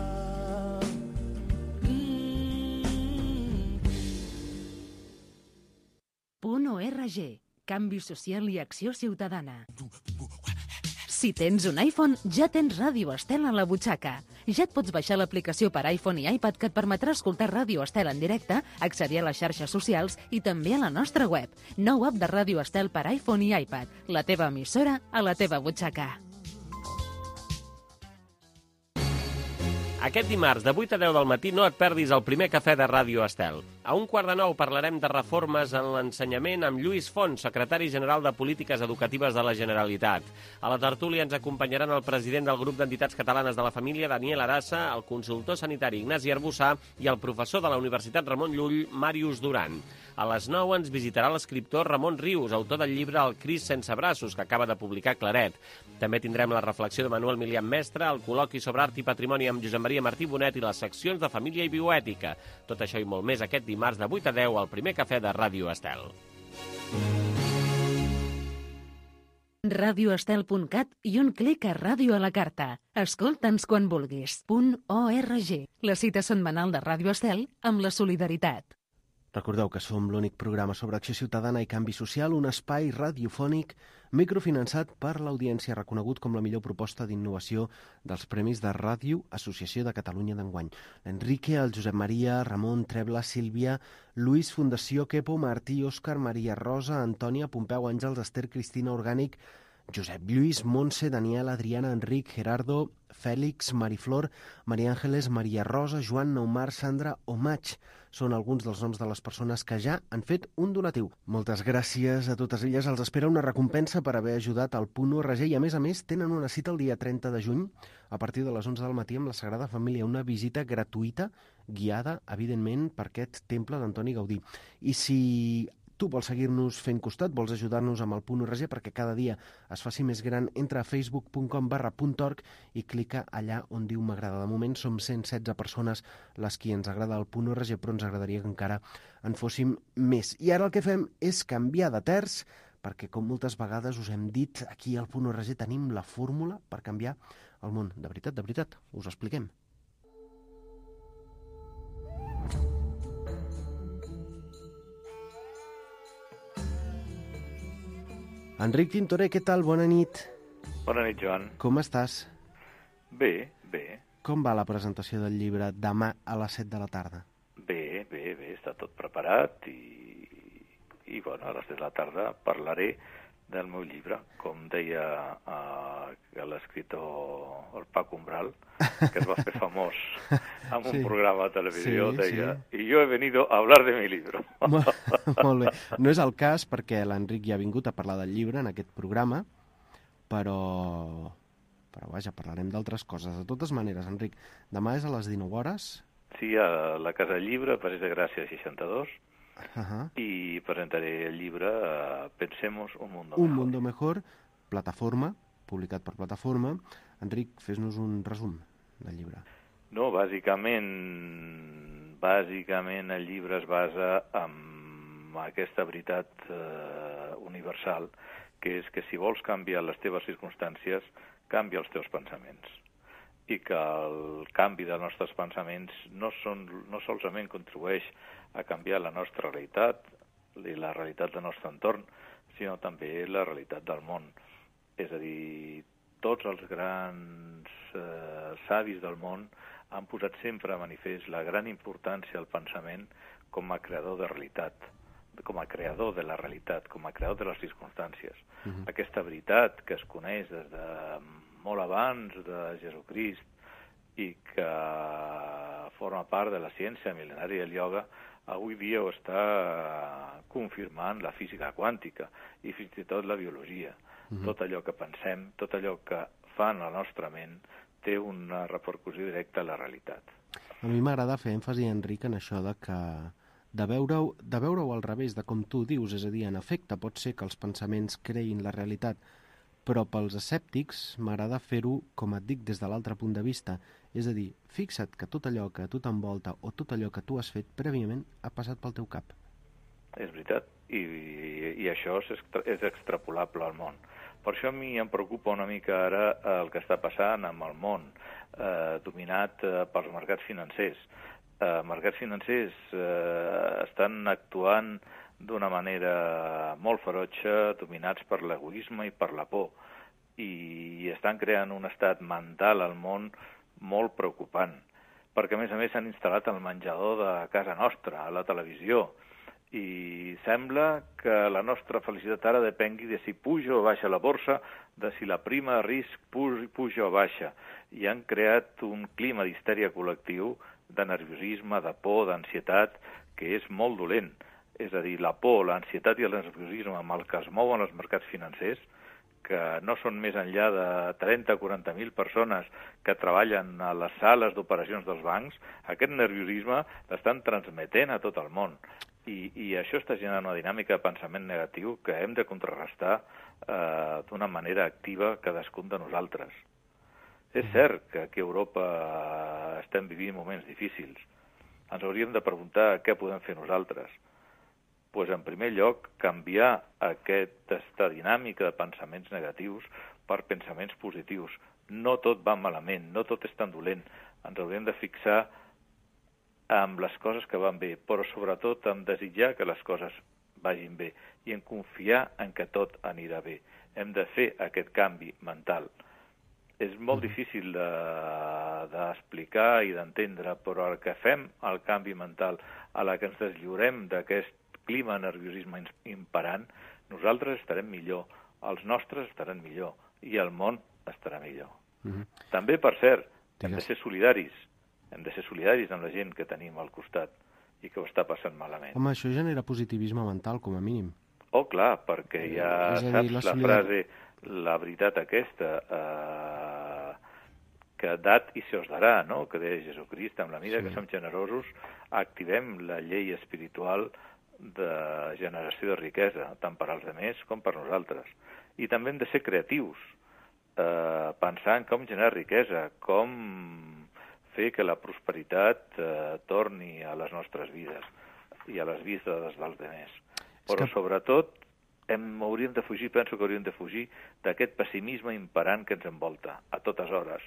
.org, canvi social i acció ciutadana. Si tens un iPhone, ja tens Ràdio Estel a la butxaca. Ja et pots baixar l'aplicació per iPhone i iPad que et permetrà escoltar Ràdio Estel en directe, accedir a les xarxes socials i també a la nostra web. Nou app de Ràdio Estel per iPhone i iPad. La teva emissora a la teva butxaca. Aquest dimarts, de 8 a 10 del matí, no et perdis el primer cafè de Ràdio Estel. A 1:15 parlarem de reformes en l'ensenyament amb Lluís Font, secretari general de Polítiques Educatives de la Generalitat. A la tertúlia ens acompanyaran el president del grup d'entitats catalanes de la família, Daniel Arassa, el consultor sanitari Ignasi Arbussà i el professor de la Universitat Ramon Llull, Màrius Duran. A les 9 ens visitarà l'escriptor Ramon Rius, autor del llibre El Crist sense braços, que acaba de publicar Claret. També tindrem la reflexió de Manuel Milian Mestre, el col·loqui sobre art i patrimoni amb Josep Maria Martí Bonet i les seccions de família i bioètica. Tot això i molt més aquest dimarts de 8 a 10 al primer cafè de Ràdio Estel. radioestel.cat i un clic a Ràdio a la carta. Escolta'ns quan vulguis. .org. La cita setmanal de Ràdio Estel amb la solidaritat. Recordeu que som l'únic programa sobre acció ciutadana i canvi social, un espai radiofònic microfinançat per l'audiència, reconegut com la millor proposta d'innovació dels Premis de Ràdio Associació de Catalunya d'enguany. L'Enrique, el Josep Maria, Ramon, Trebla, Sílvia, Lluís, Fundació Quepo, Martí, Òscar, Maria Rosa, Antònia, Pompeu, Àngels, Esther, Cristina, Orgànic, Josep Lluís, Montse, Daniel, Adriana, Enric, Gerardo, Fèlix, Mariflor, Maria Àngeles, Maria Rosa, Joan, Neumar, Sandra o Maig. Són alguns dels noms de les persones que ja han fet un donatiu. Moltes gràcies a totes elles. Els espera una recompensa per haver ajudat al .org i, a més, tenen una cita el dia 30 de juny a partir de les 11 del matí amb la Sagrada Família, una visita gratuïta, guiada, evidentment, per aquest temple d'Antoni Gaudí. I si tu vols seguir-nos fent costat, vols ajudar-nos amb el .org perquè cada dia es faci més gran, entra a facebook.com/.org i clica allà on diu m'agrada. De moment som 116 persones les qui ens agrada el .org, però ens agradaria que encara en fóssim més. I ara el que fem és canviar de terç, perquè com moltes vegades us hem dit, aquí al .org tenim la fórmula per canviar el món. De veritat, us ho expliquem. Enric Tintoré, què tal? Bona nit. Bona nit, Joan. Com estàs? Bé. Com va la presentació del llibre demà a les 7 de la tarda? Bé, està tot preparat i bueno, a les 7 de la tarda parlaré del meu llibre, com deia l'escriptor el Paco Umbral, que es va fer famós en un programa de televisió, deia, i jo he venido a hablar de mi libro. Molt bé. No és el cas perquè l'Enric ja ha vingut a parlar del llibre en aquest programa, però vaja, parlarem d'altres coses. De totes maneres, Enric, demà és a les 19 hores? Sí, a la Casa del Llibre, Passeig de Gràcia 62, i presentaré el llibre Pensemos un mundo mejor. Un mundo mejor, plataforma, publicat per Plataforma. Enric, fes-nos un resum del llibre. No, bàsicament el llibre es basa en aquesta veritat universal, que és que si vols canviar les teves circumstàncies, canvia els teus pensaments. I que el canvi dels nostres pensaments no solament contribueix a canviar la nostra realitat i la realitat del nostre entorn, sinó també la realitat del món. És a dir, tots els grans savis del món han posat sempre a manifest la gran importància del pensament com a creador de realitat, com a creador de la realitat, com a creador de les circumstàncies. Aquesta veritat que es coneix des de molt abans de Jesucrist i que forma part de la ciència mil·lenària del ioga, avui dia ho està confirmant la física quàntica i fins i tot la biologia. Tot allò que pensem, tot allò que fa en la nostra ment, té una repercussió directa a la realitat. A mi m'agrada fer èmfasi, Enric, en això de veure-ho al revés de com tu dius, és a dir, en efecte, pot ser que els pensaments creïn la realitat, però pels escèptics m'agrada fer-ho, com et dic, des de l'altre punt de vista. És a dir, fixa't que tot allò que a tu t'envolta o tot allò que tu has fet prèviament ha passat pel teu cap. És veritat, i això és extrapolable al món. Per això a mi em preocupa una mica ara el que està passant amb el món dominat pels mercats financers. Mercats financers estan actuant d'una manera molt ferotge, dominats per l'egoisme i per la por, i estan creant un estat mental al món molt preocupant, perquè a més s'han instal·lat al menjador de casa nostra, a la televisió, I sembla que la nostra felicitat ara depengui de si puja o baixa la borsa, de si la prima de risc puja o baixa. I han creat un clima d'histèria col·lectiu, de nerviosisme, de por, d'ansietat, que és molt dolent. És a dir, la por, l'ansietat i el nerviosisme amb el que es mouen els mercats financers, que no són més enllà de 30 o 40.000 persones que treballen a les sales d'operacions dels bancs, aquest nerviosisme l'estan transmetent a tot el món. I això està generant una dinàmica de pensament negatiu que hem de contrarrestar d'una manera activa cadascun de nosaltres. És cert que aquí a Europa estem vivint moments difícils. Ens hauríem de preguntar què podem fer nosaltres. Doncs, en primer lloc, canviar aquesta dinàmica de pensaments negatius per pensaments positius. No tot va malament, no tot és tan dolent. Ens hauríem de fixar amb les coses que van bé, però sobretot en desitjar que les coses vagin bé i en confiar en que tot anirà bé. Hem de fer aquest canvi mental. És molt difícil d'explicar i d'entendre, però el que fem el canvi mental, a la que ens deslliurem d'aquest clima de nerviosisme imperant, nosaltres estarem millor, els nostres estaran millor i el món estarà millor. També, per cert, hem de ser solidaris. Hem de ser solidaris amb la gent que tenim al costat i que ho està passant malament. Home, això genera positivisme mental, com a mínim. Oh, clar, perquè ja saps la frase, la veritat aquesta, que dat i se us darà, no?, que deia Jesucrist, amb la mida que som generosos, activem la llei espiritual de generació de riquesa, tant per als altres com per nosaltres. I també hem de ser creatius, pensar en com generar riquesa, com fer que la prosperitat torni a les nostres vides i a les vides dels altres. Però sobretot hauríem de fugir, penso que hauríem de fugir d'aquest pessimisme imperant que ens envolta a totes hores.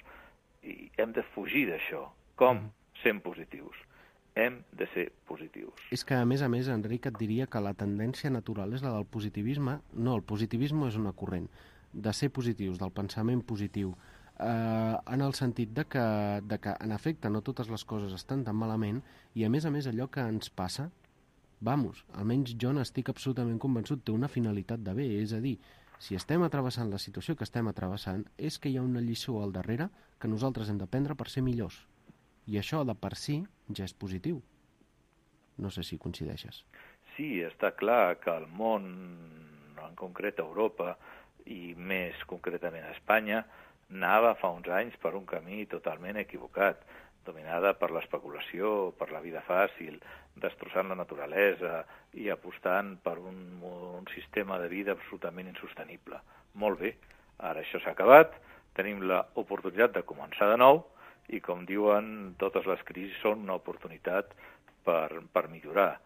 I hem de fugir d'això. Com? Sent positius. Hem de ser positius. És que, a més, Enric, et diria que la tendència natural és la del positivisme. No, el positivisme és una corrent. De ser positius, del pensament positiu, en el sentit de que, en efecte, no totes les coses estan tan malament i, a més, allò que ens passa, almenys jo n'estic absolutament convençut, té una finalitat de bé, és a dir, si estem travessant la situació que estem travessant, és que hi ha una lliçó al darrere que nosaltres hem d'aprendre per ser millors. I això, de per si, ja és positiu. No sé si coincideixes. Sí, està clar que el món, en concret Europa, i més concretament a Espanya, anava fa uns anys per un camí totalment equivocat, dominada per l'especulació, per la vida fàcil, destrossant la naturalesa i apostant per un sistema de vida absolutament insostenible. Molt bé, ara això s'ha acabat, tenim l'oportunitat de començar de nou i, com diuen, totes les crisis són una oportunitat per millorar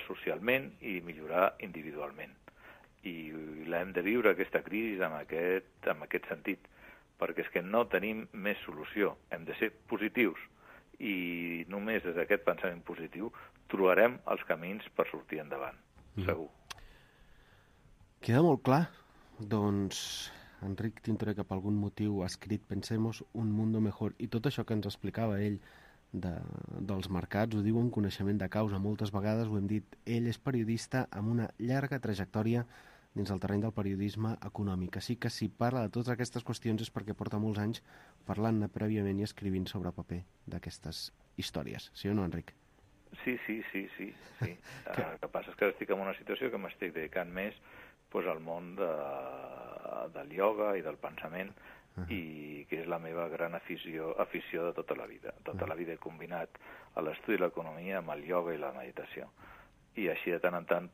socialment i millorar individualment. I l'hem de viure, aquesta crisi, amb aquest sentit, perquè és que no tenim més solució. Hem de ser positius i només des d'aquest pensament positiu trobarem els camins per sortir endavant, segur. Queda molt clar. Doncs Enric Tintoré, que per algun motiu ha escrit Pensemos un mundo mejor, i tot això que ens explicava ell dels mercats, ho diu en coneixement de causa. Moltes vegades ho hem dit, ell és periodista amb una llarga trajectòria dins el terreny del periodisme econòmic. Així que si parla de totes aquestes qüestions és perquè porta molts anys parlant-ne prèviament i escrivint sobre paper d'aquestes històries. Sí o no, Enric? Sí. El que passa és que estic en una situació que m'estic dedicant més al món del ioga i del pensament, i que és la meva gran afició de tota la vida. Tota la vida he combinat l'estudi de l'economia amb el ioga i la meditació. I així de tant en tant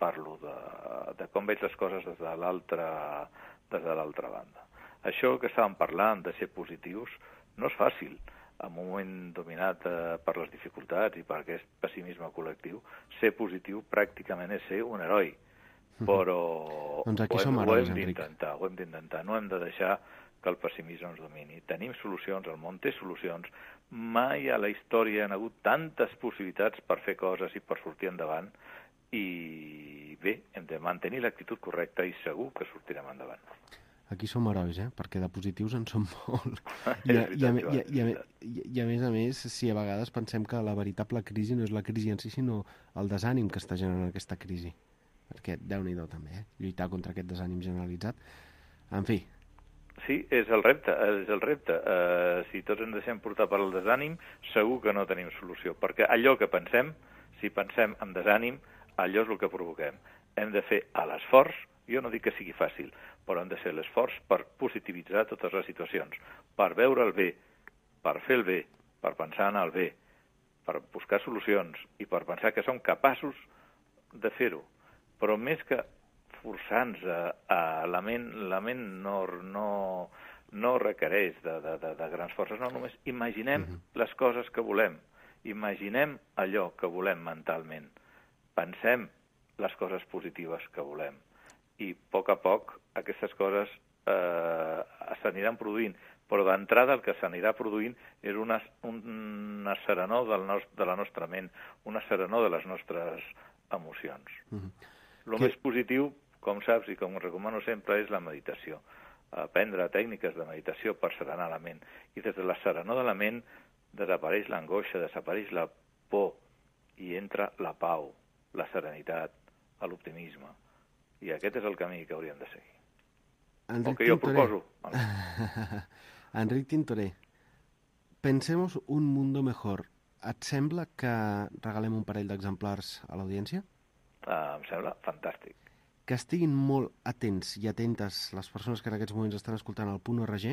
parlo de com veig les coses des de l'altra banda. Això que estàvem parlant de ser positius no és fàcil. En un moment dominat per les dificultats i per aquest pessimisme col·lectiu, ser positiu pràcticament és ser un heroi. Però doncs aquí som herois, Enric. Ho hem d'intentar. No hem de deixar que el pessimisme ens domini. Tenim solucions, el món té solucions. Mai a la història hi ha hagut tantes possibilitats per fer coses i per sortir endavant, i bé, hem de mantenir l'actitud correcta i segur que sortirem endavant. Aquí som herois, perquè de positius en som molt. I a més, si a vegades pensem que la veritable crisi no és la crisi en si, sinó el desànim que està generant aquesta crisi. Perquè, Déu-n'hi-do també, lluitar contra aquest desànim generalitzat. En fi. Sí, és el repte. Si tots ens deixem portar per el desànim, segur que no tenim solució. Perquè allò que pensem, si pensem en desànim, allò és el que provoquem. Hem de fer l'esforç, jo no dic que sigui fàcil, però hem de fer l'esforç per positivitzar totes les situacions, per veure el bé, per fer el bé, per pensar en el bé, per buscar solucions i per pensar que som capaços de fer-ho. Però més que forçar-nos la ment no requereix de grans forces, no, només imaginem les coses que volem, imaginem allò que volem mentalment, pensem les coses positives que volem. I a poc aquestes coses s'aniran produint, però d'entrada el que s'anirà produint és una serenor de la nostra ment, una serenor de les nostres emocions. El més positiu, com saps i com recomano sempre, és la meditació. Aprendre tècniques de meditació per serenar la ment. I des de la serenor de la ment desapareix l'angoixa, desapareix la por i entra la pau, la serenitat, l'optimisme. I aquest és el camí que hauríem de seguir. Enric o que jo proposo. Enric Tintoré, pensemos un mundo mejor. Et sembla que regalem un parell d'exemplars a l'audiència? Em sembla fantàstic. Que estiguin molt atents i atentes les persones que en aquests moments estan escoltant el .org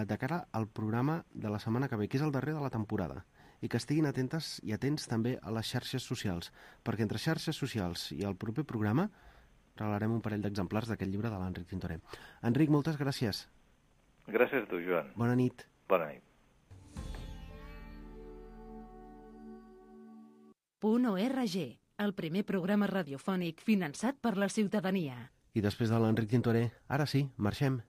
de cara al programa de la setmana que ve, que és el darrer de la temporada, i que estiguin atentes i atents també a les xarxes socials, perquè entre xarxes socials i el proper programa regalarem un parell d'exemplars d'aquest llibre de l'Enric Tintoré. Enric, moltes gràcies. Gràcies a tu, Joan. Bona nit. Bona nit. .org, el primer programa radiofònic finançat per la ciutadania. I després de l'Enric Tintoré, ara sí, marxem.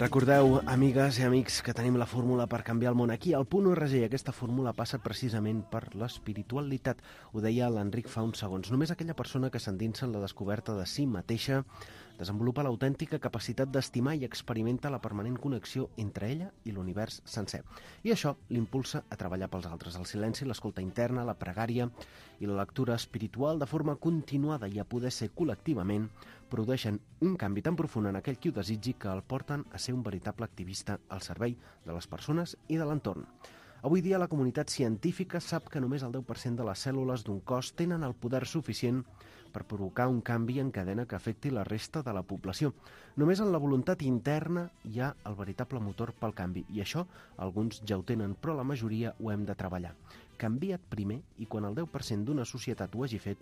Recordeu, amigues i amics, que tenim la fórmula per canviar el món aquí, al .org, i aquesta fórmula passa precisament per l'espiritualitat. Ho deia l'Enric fa uns segons. Només aquella persona que s'endinsa en la descoberta de si mateixa desenvolupa l'autèntica capacitat d'estimar i experimenta la permanent connexió entre ella i l'univers sencer. I això l'impulsa a treballar pels altres. El silenci, l'escolta interna, la pregària i la lectura espiritual de forma continuada i a poder ser col·lectivament produeixen un canvi tan profund en aquell qui ho desitgi que el porten a ser un veritable activista al servei de les persones i de l'entorn. Avui dia la comunitat científica sap que només el 10% de les cèl·lules d'un cos tenen el poder suficient per provocar un canvi en cadena que afecti la resta de la població. Només en la voluntat interna hi ha el veritable motor pel canvi, i això alguns ja ho tenen, però la majoria ho hem de treballar. Canvia't primer i quan el 10% d'una societat ho hagi fet,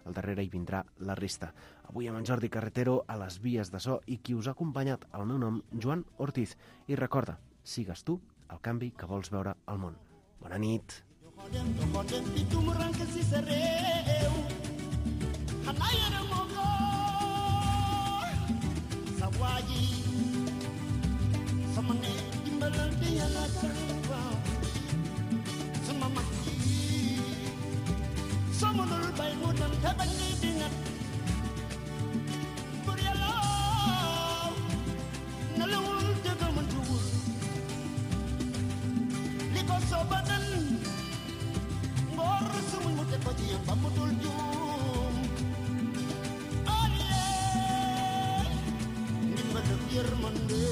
al darrere hi vindrà la resta. Avui amb en Jordi Carretero a les vies de so i qui us ha acompanyat, el meu nom, Joan Ortiz. I recorda, sigues tu el canvi que vols veure al món. Bona nit. Someone by good and heaven needing it. But yellow, no little gentleman to because so button more soon would the body and Bamutul Jum. Oh, yeah, remember the year Monday.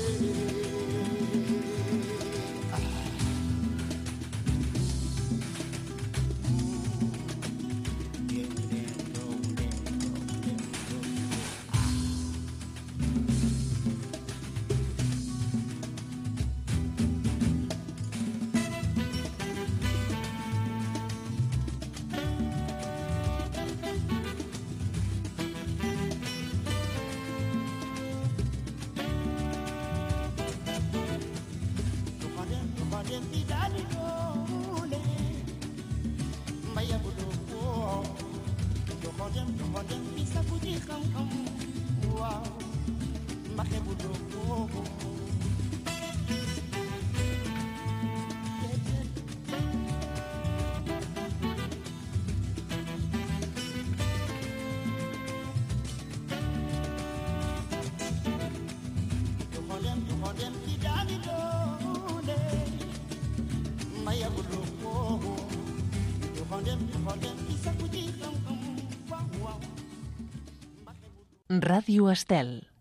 Ràdio Estel.